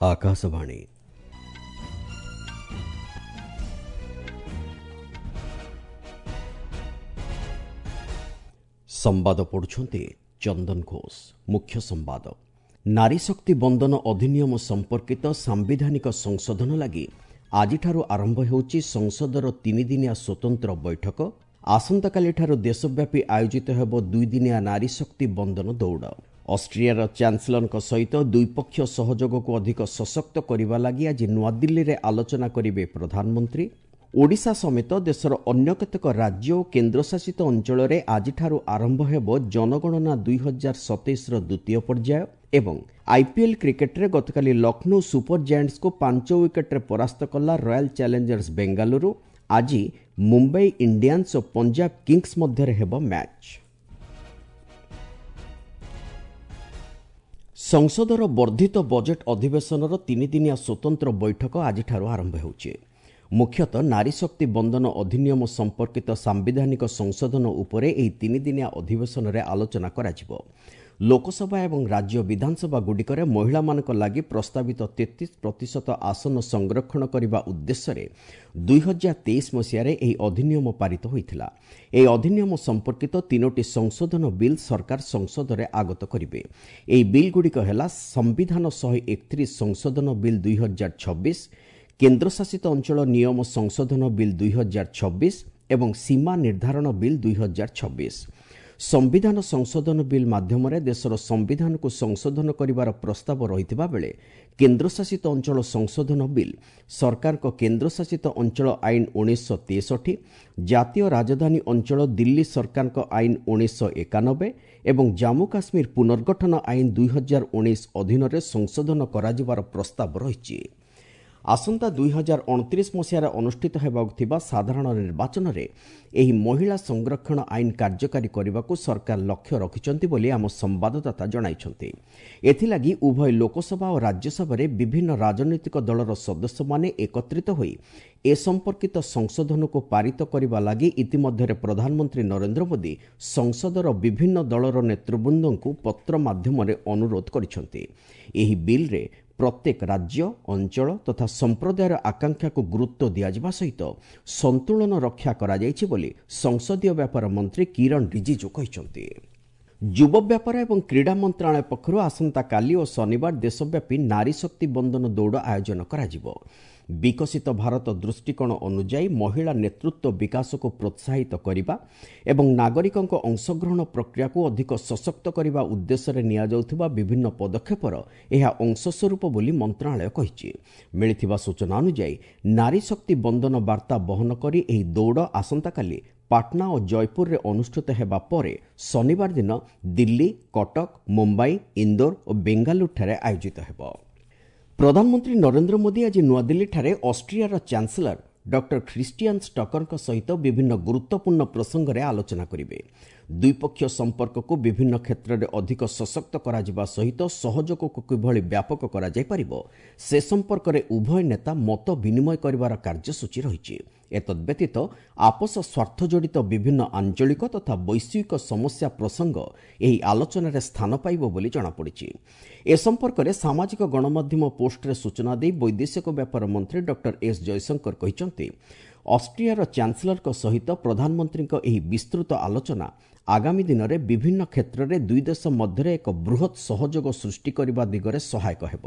ଆକାଶବାଣୀ। ସମ୍ବାଦ ପଢୁଛନ୍ତି ଚନ୍ଦନ ଘୋଷ। ମୁଖ୍ୟ ସମ୍ବାଦ। ନାରୀ ଶକ୍ତି ବନ୍ଦନ ଅଧିନିୟମ ସମ୍ପର୍କିତ ସାମ୍ବିଧାନିକ ସଂଶୋଧନ ଲାଗି ଆଜିଠାରୁ ଆରମ୍ଭ ହେଉଛି ସଂସଦର ତିନିଦିନିଆ ସ୍ୱତନ୍ତ୍ର ବୈଠକ। ଆସନ୍ତାକାଲିଠାରୁ ଦେଶବ୍ୟାପୀ ଆୟୋଜିତ ହେବ ଦୁଇଦିନିଆ ନାରୀ ଶକ୍ତି ବନ୍ଦନ ଦୌଡ଼। ଅଷ୍ଟ୍ରିଆର ଚାନ୍ସେଲରଙ୍କ ସହିତ ଦ୍ୱିପକ୍ଷୀୟ ସହଯୋଗକୁ ଅଧିକ ସଶକ୍ତ କରିବା ଲାଗି ଆଜି ନୂଆଦିଲ୍ଲୀରେ ଆଲୋଚନା କରିବେ ପ୍ରଧାନମନ୍ତ୍ରୀ। ଓଡ଼ିଶା ସମେତ ଦେଶର ଅନ୍ୟ କେତେକ ରାଜ୍ୟ ଓ କେନ୍ଦ୍ରଶାସିତ ଅଞ୍ଚଳରେ ଆଜିଠାରୁ ଆରମ୍ଭ ହେବ ଜନଗଣନା 2027ର ଦ୍ୱିତୀୟ ପର୍ଯ୍ୟାୟ। ଏବଂ ଆଇପିଏଲ୍ କ୍ରିକେଟରେ ଗତକାଲି ଲକ୍ଷ୍ନୌ ସୁପର ଜାଏଣ୍ଟସ୍କୁ 5 ୱିକେଟ୍ରେ ପରାସ୍ତ କଲା ରୟାଲ ଚ୍ୟାଲେଞ୍ଜର୍ସ ବେଙ୍ଗାଲୁରୁ। ଆଜି ମୁମ୍ବାଇ ଇଣ୍ଡିଆନ୍ସ ଓ ପଞ୍ଜାବ କିଙ୍ଗସ୍ ମଧ୍ୟରେ ହେବ ମ୍ୟାଚ୍। ସଂସଦର ବର୍ଦ୍ଧିତ ବଜେଟ୍ ଅଧିବେଶନର ତିନିଦିନିଆ ସ୍ୱତନ୍ତ୍ର ବୈଠକ ଆଜିଠାରୁ ଆରମ୍ଭ ହେଉଛି। ମୁଖ୍ୟତଃ ନାରୀ ଶକ୍ତି ବନ୍ଦନ ଅଧିନିୟମ ସମ୍ପର୍କିତ ସାମ୍ବିଧାନିକ ସଂଶୋଧନ ଉପରେ ଏହି ତିନିଦିନିଆ ଅଧିବେଶନରେ ଆଲୋଚନା କରାଯିବ। ଲୋକସଭା ଏବଂ ରାଜ୍ୟ ବିଧାନସଭାଗୁଡ଼ିକରେ ମହିଳାମାନଙ୍କ ଲାଗି ପ୍ରସ୍ତାବିତ 33% ଆସନ ସଂରକ୍ଷଣ କରିବା ଉଦ୍ଦେଶ୍ୟରେ 2023 ମସିହାରେ ଏହି ଅଧିନିୟମ ପାରିତ ହୋଇଥିଲା। ଏହି ଅଧିନିୟମ ସମ୍ପର୍କିତ ତିନୋଟି ସଂଶୋଧନ ବିଲ୍ ସରକାର ସଂସଦରେ ଆଗତ କରିବେ। ଏହି ବିଲ୍ଗୁଡ଼ିକ ହେଲା ସମ୍ବିଧାନ 131 ସଂଶୋଧନ ବିଲ୍ 2026, କେନ୍ଦ୍ରଶାସିତ ଅଞ୍ଚଳ ନିୟମ ସଂଶୋଧନ ବିଲ୍ 2026 ଏବଂ ସୀମା ନିର୍ଦ୍ଧାରଣ ବିଲ୍ 2026। ସମ୍ବିଧାନ ସଂଶୋଧନ ବିଲ୍ ମାଧ୍ୟମରେ ଦେଶର ସମ୍ବିଧାନକୁ ସଂଶୋଧନ କରିବାର ପ୍ରସ୍ତାବ ରହିଥିବା ବେଳେ କେନ୍ଦ୍ରଶାସିତ ଅଞ୍ଚଳ ସଂଶୋଧନ ବିଲ୍ ସରକାରଙ୍କ କେନ୍ଦ୍ରଶାସିତ ଅଞ୍ଚଳ ଆଇନ 1963, ଜାତୀୟ ରାଜଧାନୀ ଅଞ୍ଚଳ ଦିଲ୍ଲୀ ସରକାରଙ୍କ ଆଇନ 1991 ଏବଂ ଜାମ୍ମୁ କାଶ୍ମୀର ପୁନର୍ଗଠନ ଆଇନ 2019 ଅଧୀନରେ ସଂଶୋଧନ କରାଯିବାର ପ୍ରସ୍ତାବ ରହିଛି। ଆସନ୍ତା 2029 ମସିହାରେ ଅନୁଷ୍ଠିତ ହେବାକୁ ଥିବା ସାଧାରଣ ନିର୍ବାଚନରେ ଏହି ମହିଳା ସଂରକ୍ଷଣ ଆଇନ କାର୍ଯ୍ୟକାରୀ କରିବାକୁ ସରକାର ଲକ୍ଷ୍ୟ ରଖିଛନ୍ତି ବୋଲି ଆମ ସମ୍ବାଦଦାତା ଜଣାଇଛନ୍ତି। ଏଥିଲାଗି ଉଭୟ ଲୋକସଭା ଓ ରାଜ୍ୟସଭାରେ ବିଭିନ୍ନ ରାଜନୈତିକ ଦଳର ସଦସ୍ୟମାନେ ଏକତ୍ରିତ ହୋଇ ଏ ସମ୍ପର୍କିତ ସଂଶୋଧନକୁ ପାରିତ କରିବା ଲାଗି ଇତିମଧ୍ୟରେ ପ୍ରଧାନମନ୍ତ୍ରୀ ନରେନ୍ଦ୍ର ମୋଦି ସଂସଦର ବିଭିନ୍ନ ଦଳର ନେତୃବୃନ୍ଦଙ୍କୁ ପତ୍ର ମାଧ୍ୟମରେ ଅନୁରୋଧ କରିଛନ୍ତି। ଏହି ବିଲ୍ରେ ପ୍ରତ୍ୟେକ ରାଜ୍ୟ, ଅଞ୍ଚଳ ତଥା ସମ୍ପ୍ରଦାୟର ଆକାଂକ୍ଷାକୁ ଗୁରୁତ୍ୱ ଦିଆଯିବା ସହିତ ସନ୍ତୁଳନ ରକ୍ଷା କରାଯାଇଛି ବୋଲି ସଂସଦୀୟ ବ୍ୟାପାର ମନ୍ତ୍ରୀ କିରଣ ରିଜିଜୁ କହିଛନ୍ତି। ଯୁବ ବ୍ୟାପାର ଏବଂ କ୍ରୀଡ଼ା ମନ୍ତ୍ରଣାଳୟ ପକ୍ଷରୁ ଆସନ୍ତାକାଲି ଓ ଶନିବାର ଦେଶବ୍ୟାପୀ ନାରୀ ଶକ୍ତି ବନ୍ଦନ ଦୌଡ଼ ଆୟୋଜନ କରାଯିବ। ବିକଶିତ ଭାରତ ଦୃଷ୍ଟିକୋଣ ଅନୁଯାୟୀ ମହିଳା ନେତୃତ୍ୱ ବିକାଶକୁ ପ୍ରୋତ୍ସାହିତ କରିବା ଏବଂ ନାଗରିକଙ୍କ ଅଂଶଗ୍ରହଣ ପ୍ରକ୍ରିୟାକୁ ଅଧିକ ସଶକ୍ତ କରିବା ଉଦ୍ଦେଶ୍ୟରେ ନିଆଯାଉଥିବା ବିଭିନ୍ନ ପଦକ୍ଷେପର ଏହା ଅଂଶସ୍ୱରୂପ ବୋଲି ମନ୍ତ୍ରଣାଳୟ କହିଛି। ମିଳିଥିବା ସୂଚନା ଅନୁଯାୟୀ ନାରୀ ଶକ୍ତି ବନ୍ଦନ ବାର୍ତ୍ତା ବହନ କରି ଏହି ଦୌଡ଼ ଆସନ୍ତାକାଲି ପାଟନା ଓ ଜୟପୁରରେ ଅନୁଷ୍ଠିତ ହେବା ପରେ ଶନିବାର ଦିନ ଦିଲ୍ଲୀ, କଟକ, ମୁମ୍ବାଇ, ଇନ୍ଦୋର ଓ ବେଙ୍ଗାଲୁରୁଠାରେ ଆୟୋଜିତ ହେବ। ପ୍ରଧାନମନ୍ତ୍ରୀ ନରେନ୍ଦ୍ର ମୋଦି ଆଜି ନୂଆଦିଲ୍ଲୀଠାରେ ଅଷ୍ଟ୍ରିଆର ଚାନ୍ସେଲର ଡକ୍ଟର ଖ୍ରୀଷ୍ଟିଆନ୍ ଷ୍ଟକରଙ୍କ ସହିତ ବିଭିନ୍ନ ଗୁରୁତ୍ୱପୂର୍ଣ୍ଣ ପ୍ରସଙ୍ଗରେ ଆଲୋଚନା କରିବେ। ଦ୍ୱିପକ୍ଷୀୟ ସମ୍ପର୍କକୁ ବିଭିନ୍ନ କ୍ଷେତ୍ରରେ ଅଧିକ ସଶକ୍ତ କରାଯିବା ସହିତ ସହଯୋଗକୁ କିଭଳି ବ୍ୟାପକ କରାଯାଇପାରିବ ସେ ସମ୍ପର୍କରେ ଉଭୟ ନେତା ମତ ବିନିମୟ କରିବାର କାର୍ଯ୍ୟସୂଚୀ ରହିଛି। ଏତଦ୍ବ୍ୟତୀତ ଆପୋଷ ସ୍ୱାର୍ଥ ଜଡ଼ିତ ବିଭିନ୍ନ ଆଞ୍ଚଳିକ ତଥା ବୈଶ୍ୱିକ ସମସ୍ୟା ପ୍ରସଙ୍ଗ ଏହି ଆଲୋଚନାରେ ସ୍ଥାନ ପାଇବ ବୋଲି ଜଣାପଡ଼ିଛି। ଏ ସମ୍ପର୍କରେ ସାମାଜିକ ଗଣମାଧ୍ୟମ ପୋଷ୍ଟରେ ସୂଚନା ଦେଇ ବୈଦେଶିକ ବ୍ୟାପାର ମନ୍ତ୍ରୀ ଡକ୍ଟର ଏସ୍ ଜୟଶଙ୍କର କହିଛନ୍ତି, ଅଷ୍ଟ୍ରିଆର ଚାନ୍ସେଲରଙ୍କ ସହିତ ପ୍ରଧାନମନ୍ତ୍ରୀଙ୍କ ଏହି ବିସ୍ତୃତ ଆଲୋଚନା ଆଗାମୀ ଦିନରେ ବିଭିନ୍ନ କ୍ଷେତ୍ରରେ ଦୁଇ ଦେଶ ମଧ୍ୟରେ ଏକ ବୃହତ୍ ସହଯୋଗ ସୃଷ୍ଟି କରିବା ଦିଗରେ ସହାୟକ ହେବ।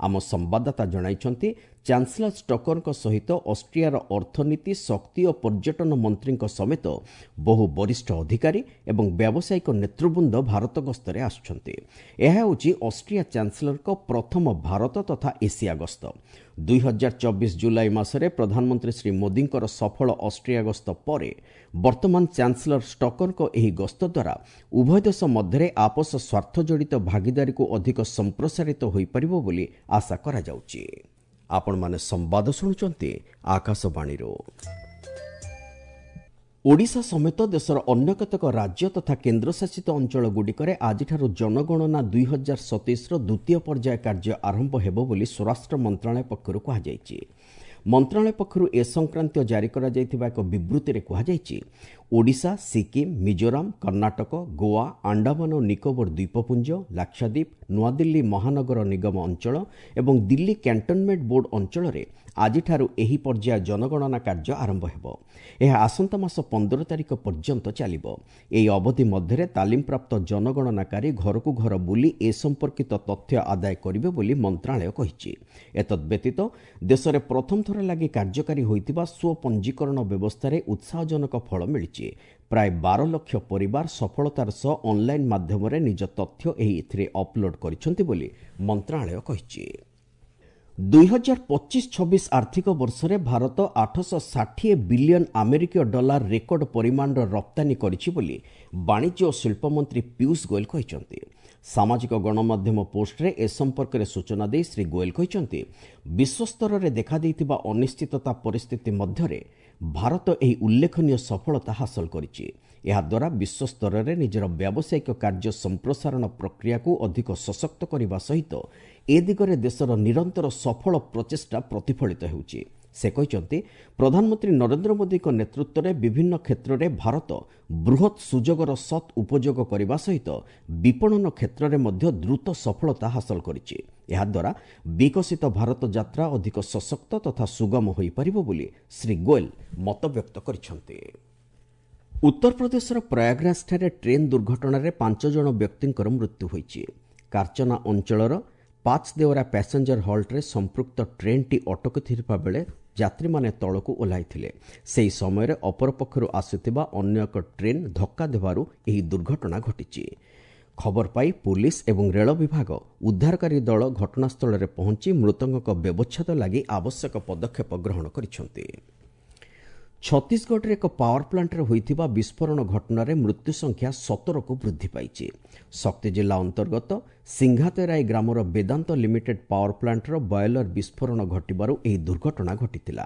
ଆମ ସମ୍ବାଦଦାତା ଜଣାଇଛନ୍ତି, ଚାନ୍ସେଲର ଷ୍ଟକରଙ୍କ ସହିତ ଅଷ୍ଟ୍ରିଆର ଅର୍ଥନୀତି, ଶକ୍ତି ଓ ପର୍ଯ୍ୟଟନ ମନ୍ତ୍ରୀଙ୍କ ସମେତ ବହୁ ବରିଷ୍ଠ ଅଧିକାରୀ ଏବଂ ବ୍ୟାବସାୟିକ ନେତୃବୃନ୍ଦ ଭାରତ ଗସ୍ତରେ ଆସୁଛନ୍ତି। ଏହା ହେଉଛି ଅଷ୍ଟ୍ରିଆ ଚାନ୍ସେଲରଙ୍କ ପ୍ରଥମ ଭାରତ ତଥା ଏସିଆ ଗସ୍ତ। 2024 ଜୁଲାଇ ମାସରେ ପ୍ରଧାନମନ୍ତ୍ରୀ ଶ୍ରୀ ମୋଦିଙ୍କର ସଫଳ ଅଷ୍ଟ୍ରିଆ ଗସ୍ତ ପରେ ବର୍ତ୍ତମାନ ଚାନ୍ସେଲର ଷ୍ଟକରଙ୍କ ଏହି ଗସ୍ତ ଦ୍ୱାରା ଉଭୟ ଦେଶ ମଧ୍ୟରେ ଆପୋଷ ସ୍ୱାର୍ଥ ଜଡ଼ିତ ଭାଗିଦାରୀକୁ ଅଧିକ ସମ୍ପ୍ରସାରିତ ହୋଇପାରିବ ବୋଲି ଆଶା କରାଯାଉଛି। ଆପଣମାନେ ସମ୍ବାଦ ଶୁଣୁଛନ୍ତି ଆକାଶବାଣୀରୁ। ଓଡ଼ିଶା ସମେତ ଦେଶର ଅନ୍ୟ କେତେକ ରାଜ୍ୟ ତଥା କେନ୍ଦ୍ରଶାସିତ ଅଞ୍ଚଳଗୁଡ଼ିକରେ ଆଜିଠାରୁ ଜନଗଣନା 2027ର ଦ୍ୱିତୀୟ ପର୍ଯ୍ୟାୟ କାର୍ଯ୍ୟ ଆରମ୍ଭ ହେବ ବୋଲି ସ୍ୱରାଷ୍ଟ୍ର ମନ୍ତ୍ରଣାଳୟ ପକ୍ଷରୁ କୁହାଯାଇଛି। ମନ୍ତ୍ରଣାଳୟ ପକ୍ଷରୁ ଏ ସଂକ୍ରାନ୍ତୀୟ ଜାରି କରାଯାଇଥିବା ଏକ ବିବୃତ୍ତିରେ କୁହାଯାଇଛି, ଓଡ଼ିଶା, ସିକିମ୍, ମିଜୋରାମ, କର୍ଣ୍ଣାଟକ, ଗୋଆ, ଆଣ୍ଡାମାନ ଓ ନିକୋବର ଦ୍ୱୀପପୁଞ୍ଜ, ଲାକ୍ଷାଦ୍ୱୀପ, ନୂଆଦିଲ୍ଲୀ ମହାନଗର ନିଗମ ଅଞ୍ଚଳ ଏବଂ ଦିଲ୍ଲୀ କ୍ୟାଣ୍ଟନମେଣ୍ଟ ବୋର୍ଡ ଅଞ୍ଚଳରେ ଆଜିଠାରୁ ଏହି ପର୍ଯ୍ୟାୟ ଜନଗଣନା କାର୍ଯ୍ୟ ଆରମ୍ଭ ହେବ। ଏହା ଆସନ୍ତା ମାସ 15 ତାରିଖ ପର୍ଯ୍ୟନ୍ତ ଚାଲିବ। ଏହି ଅବଧି ମଧ୍ୟରେ ତାଲିମପ୍ରାପ୍ତ ଜନଗଣନାକାରୀ ଘରକୁ ଘର ବୁଲି ଏ ସମ୍ପର୍କିତ ତଥ୍ୟ ଆଦାୟ କରିବେ ବୋଲି ମନ୍ତ୍ରଣାଳୟ କହିଛି। ଏତଦ୍ବ୍ୟତୀତ ଦେଶରେ ପ୍ରଥମ ଥର ଲାଗି କାର୍ଯ୍ୟକାରୀ ହୋଇଥିବା ସ୍ୱପଞ୍ଜୀକରଣ ବ୍ୟବସ୍ଥାରେ ଉତ୍ସାହଜନକ ଫଳ ମିଳିଛି। ପ୍ରାୟ 12 ଲକ୍ଷ ପରିବାର ସଫଳତାର ସହ ଅନ୍ଲାଇନ୍ ମାଧ୍ୟମରେ ନିଜ ତଥ୍ୟ ଏଥିରେ ଅପଲୋଡ୍ କରିଛନ୍ତି ବୋଲି ମନ୍ତ୍ରଣାଳୟ କହିଛି। 2025-26 ଆର୍ଥିକ ବର୍ଷରେ ଭାରତ 860 ବିଲିୟନ ଆମେରିକୀୟ ଡଲାର ରେକର୍ଡ ପରିମାଣର ରପ୍ତାନୀ କରିଛି ବୋଲି ବାଣିଜ୍ୟ ଓ ଶିଳ୍ପମନ୍ତ୍ରୀ ପୀୟୁଷ ଗୋଏଲ କହିଛନ୍ତି। ସାମାଜିକ ଗଣମାଧ୍ୟମ ପୋଷ୍ଟରେ ଏ ସମ୍ପର୍କରେ ସୂଚନା ଦେଇ ଶ୍ରୀ ଗୋଏଲ କହିଛନ୍ତି, ବିଶ୍ୱସ୍ତରରେ ଦେଖାଦେଇଥିବା ଅନିଶ୍ଚିତତା ପରିସ୍ଥିତି ମଧ୍ୟରେ ଭାରତ ଏହି ଉଲ୍ଲେଖନୀୟ ସଫଳତା ହାସଲ କରିଛି। ଏହାଦ୍ୱାରା ବିଶ୍ୱସ୍ତରରେ ନିଜର ବ୍ୟାବସାୟିକ କାର୍ଯ୍ୟ ସମ୍ପ୍ରସାରଣ ପ୍ରକ୍ରିୟାକୁ ଅଧିକ ସଶକ୍ତ କରିବା ସହିତ ଏ ଦିଗରେ ଦେଶର ନିରନ୍ତର ସଫଳ ପ୍ରଚେଷ୍ଟା ପ୍ରତିଫଳିତ ହେଉଛି। ସେ କହିଛନ୍ତି, ପ୍ରଧାନମନ୍ତ୍ରୀ ନରେନ୍ଦ୍ର ମୋଦିଙ୍କ ନେତୃତ୍ୱରେ ବିଭିନ୍ନ କ୍ଷେତ୍ରରେ ଭାରତ ବୃହତ୍ ସୁଯୋଗର ସତ୍ ଉପଯୋଗ କରିବା ସହିତ ବିପଣନ କ୍ଷେତ୍ରରେ ମଧ୍ୟ ଦ୍ରୁତ ସଫଳତା ହାସଲ କରିଛି। ଏହାଦ୍ୱାରା ବିକଶିତ ଭାରତ ଯାତ୍ରା ଅଧିକ ସଶକ୍ତ ତଥା ସୁଗମ ହୋଇପାରିବ ବୋଲି ଶ୍ରୀ ଗୋଏଲ ମତବ୍ୟକ୍ତ କରିଛନ୍ତି। ଉତ୍ତରପ୍ରଦେଶର ପ୍ରୟାଗରାଜଠାରେ ଟ୍ରେନ୍ ଦୁର୍ଘଟଣାରେ 5 ଜଣ ବ୍ୟକ୍ତିଙ୍କର ମୃତ୍ୟୁ ହୋଇଛି। କାର୍ଚନା ଅଞ୍ଚଳର ପାଚଦେଓରା ପ୍ୟାସେଞ୍ଜର ହଲ୍ଟରେ ସମ୍ପୃକ୍ତ ଟ୍ରେନ୍ଟି ଅଟକିଥିବା ବେଳେ ଯାତ୍ରୀମାନେ ତଳକୁ ଓହ୍ଲାଇଥିଲେ। ସେହି ସମୟରେ ଅପରପକ୍ଷରୁ ଆସୁଥିବା ଅନ୍ୟ ଏକ ଟ୍ରେନ୍ ଧକ୍କା ଦେବାରୁ ଏହି ଦୁର୍ଘଟଣା ଘଟିଛି। ଖବର ପାଇ ପୁଲିସ୍ ଏବଂ ରେଳ ବିଭାଗ ଉଦ୍ଧାରକାରୀ ଦଳ ଘଟଣାସ୍ଥଳରେ ପହଞ୍ଚି ମୃତକଙ୍କ ବ୍ୟବଚ୍ଛେଦ ଲାଗି ଆବଶ୍ୟକ ପଦକ୍ଷେପ ଗ୍ରହଣ କରିଛନ୍ତି। ଛତିଶଗଡ଼ରେ ଏକ ପାୱାର ପ୍ଲାଣ୍ଟରେ ହୋଇଥିବା ବିସ୍ଫୋରଣ ଘଟଣାରେ ମୃତ୍ୟୁ ସଂଖ୍ୟା 17କୁ ବୃଦ୍ଧି ପାଇଛି। ଶକ୍ତି ଜିଲ୍ଲା ଅନ୍ତର୍ଗତ ସିଂଘାତେରାଇ ଗ୍ରାମର ବେଦାନ୍ତ ଲିମିଟେଡ୍ ପାୱାର ପ୍ଲାଣ୍ଟର ବଏଲର ବିସ୍ଫୋରଣ ଘଟିବାରୁ ଏହି ଦୁର୍ଘଟଣା ଘଟିଥିଲା।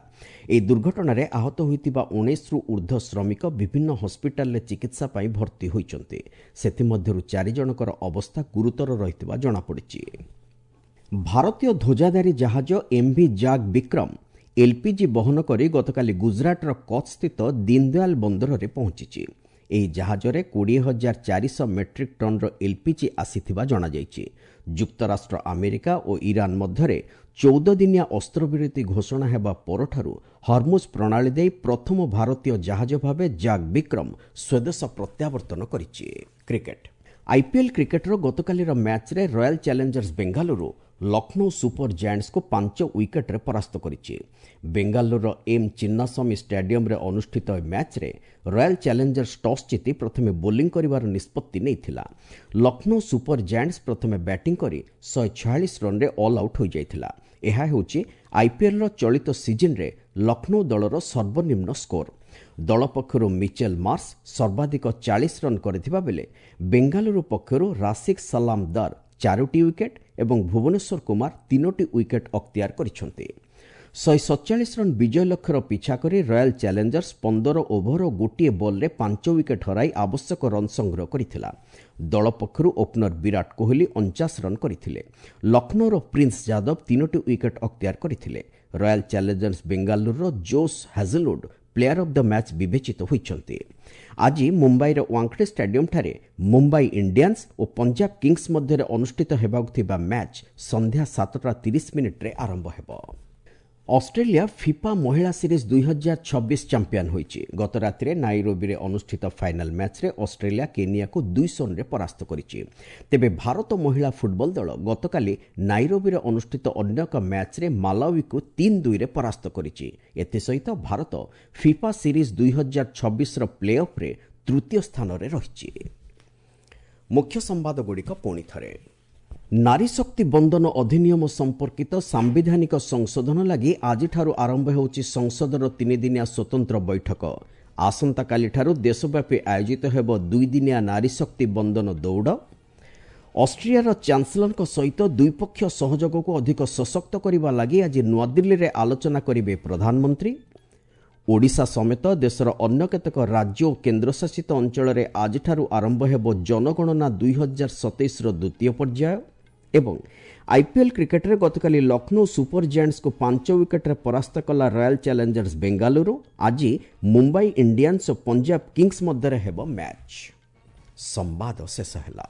ଏହି ଦୁର୍ଘଟଣାରେ ଆହତ ହୋଇଥିବା 19ରୁ ଉର୍ଦ୍ଧ୍ୱ ଶ୍ରମିକ ବିଭିନ୍ନ ହସ୍ପିଟାଲରେ ଚିକିତ୍ସା ପାଇଁ ଭର୍ତ୍ତି ହୋଇଛନ୍ତି। ସେଥିମଧ୍ୟରୁ 4 ଜଣଙ୍କର ଅବସ୍ଥା ଗୁରୁତର ରହିଥିବା ଜଣାପଡ଼ିଛି। ଭାରତୀୟ ଧ୍ୱଜାଧାରୀ ଜାହାଜ ଏମ୍ଭି ଜାଗ୍ ବିକ୍ରମ ଏଲ୍ପିଜି ବହନ କରି ଗତକାଲି ଗୁଜରାଟର କଚ୍ଛସ୍ଥିତ ଦୀନଦୟାଲ ବନ୍ଦରରେ ପହଞ୍ଚିଛି। ଏହି ଜାହାଜରେ 20,400 ମେଟ୍ରିକ୍ ଟନ୍ର ଏଲ୍ପିଜି ଆସିଥିବା ଜଣାଯାଇଛି। ଯୁକ୍ତରାଷ୍ଟ୍ର ଆମେରିକା ଓ ଇରାନ ମଧ୍ୟରେ 14 ଦିନିଆ ଅସ୍ତ୍ରବିରତି ଘୋଷଣା ହେବା ପରଠାରୁ ହର୍ମୁଜ ପ୍ରଣାଳୀ ଦେଇ ପ୍ରଥମ ଭାରତୀୟ ଜାହାଜ ଭାବେ ଜାଗ୍ ବିକ୍ରମ ସ୍ୱଦେଶ ପ୍ରତ୍ୟାବର୍ତ୍ତନ କରିଛି। କ୍ରିକେଟ୍ ଆଇପିଏଲ୍ କ୍ରିକେଟର ଗତକାଲିର ମ୍ୟାଚ୍ରେ royal challengers Bengaluru Lucknow super ଜାଏଣ୍ଟସ୍କୁ 5 ୱିକେଟ୍ରେ ପରାସ୍ତ କରିଛି। ବେଙ୍ଗାଲୁରୁର ଏମ୍ ଚିନ୍ନାସ୍ୱାମୀ ଷ୍ଟାଡିୟମରେ ଅନୁଷ୍ଠିତ ଏହି ମ୍ୟାଚ୍ରେ ରୟାଲ ଚ୍ୟାଲେଞ୍ଜର୍ସ ଟସ୍ ଜିତି ପ୍ରଥମେ ବୋଲିଂ କରିବାର ନିଷ୍ପତ୍ତି ନେଇଥିଲା। ଲକ୍ଷ୍ନୌ ସୁପର ଜାଏଣ୍ଟସ୍ ପ୍ରଥମେ ବ୍ୟାଟିଂ କରି 146 ରନ୍ରେ ଅଲ୍ ଆଉଟ୍ ହୋଇଯାଇଥିଲା। ଏହା ହେଉଛି ଆଇପିଏଲ୍ର ଚଳିତ ସିଜିନ୍ରେ ଲକ୍ଷ୍ନୌ ଦଳର ସର୍ବନିମ୍ନ ସ୍କୋର। ଦଳ ପକ୍ଷରୁ ମିଚେଲ ମାର୍ସ ସର୍ବାଧିକ 40 ରନ୍ କରିଥିବା ବେଳେ ବେଙ୍ଗାଲୁରୁ ପକ୍ଷରୁ ରାସିକ୍ ସଲାମ ଦର 4ଟି ୱିକେଟ୍ ଏବଂ ଭୁବନେଶ୍ୱର କୁମାର 3ଟି ୱିକେଟ୍ ଅକ୍ତିଆର କରିଛନ୍ତି। 147 ରନ୍ ବିଜୟ ଲକ୍ଷ୍ୟର ପିଛା କରି ରୟାଲ ଚ୍ୟାଲେଞ୍ଜର୍ସ 15 ଓଭର ଓ 1 ବଲ୍ରେ 5 ୱିକେଟ୍ ହରାଇ ଆବଶ୍ୟକ ରନ୍ ସଂଗ୍ରହ କରିଥିଲା। ଦଳ ପକ୍ଷରୁ ଓପନର ବିରାଟ କୋହଲି 49 ରନ୍ କରିଥିଲେ। ଲକ୍ଷ୍ନୌର ପ୍ରିନ୍ସ ଯାଦବ 3ଟି ୱିକେଟ୍ ଅକ୍ତିଆର କରିଥିଲେ। ରୟାଲ ଚ୍ୟାଲେଞ୍ଜର୍ସ ବେଙ୍ଗାଲୁରୁର Josh Hazlewood player of the match ବିବେଚିତ ହୋଇଛନ୍ତି। ଆଜି ମୁମ୍ବାଇର ୱାଙ୍ଗଡେ ଷ୍ଟାଡିୟମଠାରେ ମୁମ୍ବାଇ ଇଣ୍ଡିଆନ୍ସ ଓ ପଞ୍ଜାବ କିଙ୍ଗସ୍ ମଧ୍ୟରେ ଅନୁଷ୍ଠିତ ହେବାକୁ ଥିବା ମ୍ୟାଚ୍ ସନ୍ଧ୍ୟା 7:30 ଆରମ୍ଭ ହେବ। ଅଷ୍ଟ୍ରେଲିଆ ଫିଫା ମହିଳା ସିରିଜ୍ 2026 ଚାମ୍ପିୟନ୍ ହୋଇଛି। ଗତ ରାତିରେ ନାଇରୋବିରେ ଅନୁଷ୍ଠିତ ଫାଇନାଲ୍ ମ୍ୟାଚ୍ରେ ଅଷ୍ଟ୍ରେଲିଆ କେନିଆକୁ 2-0ରେ ପରାସ୍ତ କରିଛି। ତେବେ ଭାରତ ମହିଳା ଫୁଟବଲ ଦଳ ଗତକାଲି ନାଇରୋବିରେ ଅନୁଷ୍ଠିତ ଅନ୍ୟ ଏକ ମ୍ୟାଚ୍ରେ ମାଲାୱିକୁ 3-2ରେ ପରାସ୍ତ କରିଛି। ଏଥିସହିତ ଭାରତ ଫିଫା ସିରିଜ୍ 2026ର ପ୍ଲେ ଅଫ୍ରେ ତୃତୀୟ ସ୍ଥାନରେ ରହିଛି। ମୁଖ୍ୟ ସମ୍ବାଦଗୁଡ଼ିକ ପୁଣି ଥରେ। ନାରୀ ଶକ୍ତି ବନ୍ଦନ ଅଧିନିୟମ ସମ୍ପର୍କିତ ସାମ୍ବିଧାନିକ ସଂଶୋଧନ ଲାଗି ଆଜିଠାରୁ ଆରମ୍ଭ ହେଉଛି ସଂସଦର 3 ଦିନିଆ ସ୍ୱତନ୍ତ୍ର ବୈଠକ। ଆସନ୍ତାକାଲିଠାରୁ ଦେଶବ୍ୟାପୀ ଆୟୋଜିତ ହେବ 2 ଦିନିଆ ନାରୀ ଶକ୍ତି ବନ୍ଦନ ଦୌଡ଼। ଅଷ୍ଟ୍ରିଆର ଚାନ୍ସେଲରଙ୍କ ସହିତ ଦ୍ୱିପକ୍ଷୀୟ ସହଯୋଗକୁ ଅଧିକ ସଶକ୍ତ କରିବା ଲାଗି ଆଜି ନୂଆଦିଲ୍ଲୀରେ ଆଲୋଚନା କରିବେ ପ୍ରଧାନମନ୍ତ୍ରୀ। ଓଡ଼ିଶା ସମେତ ଦେଶର ଅନ୍ୟ କେତେକ ରାଜ୍ୟ ଓ କେନ୍ଦ୍ରଶାସିତ ଅଞ୍ଚଳରେ ଆଜିଠାରୁ ଆରମ୍ଭ ହେବ ଜନଗଣନା 2027ର ଦ୍ୱିତୀୟ ପର୍ଯ୍ୟାୟ। ଏବଂ ଆଇପିଏଲ୍ କ୍ରିକେଟରେ ଗତକାଲି ଲକ୍ଷ୍ନୌ ସୁପର ଜାଏଣ୍ଟସ୍କୁ 5 ୱିକେଟ୍ରେ ପରାସ୍ତ କଲା ରୟାଲ ଚ୍ୟାଲେଞ୍ଜର୍ସ ବେଙ୍ଗାଲୁରୁ। ଆଜି ମୁମ୍ବାଇ ଇଣ୍ଡିଆନ୍ସ ଓ ପଞ୍ଜାବ କିଙ୍ଗସ୍ ମଧ୍ୟରେ ହେବ ମ୍ୟାଚ୍। ସମ୍ବାଦ ଶେଷ ହେଲା।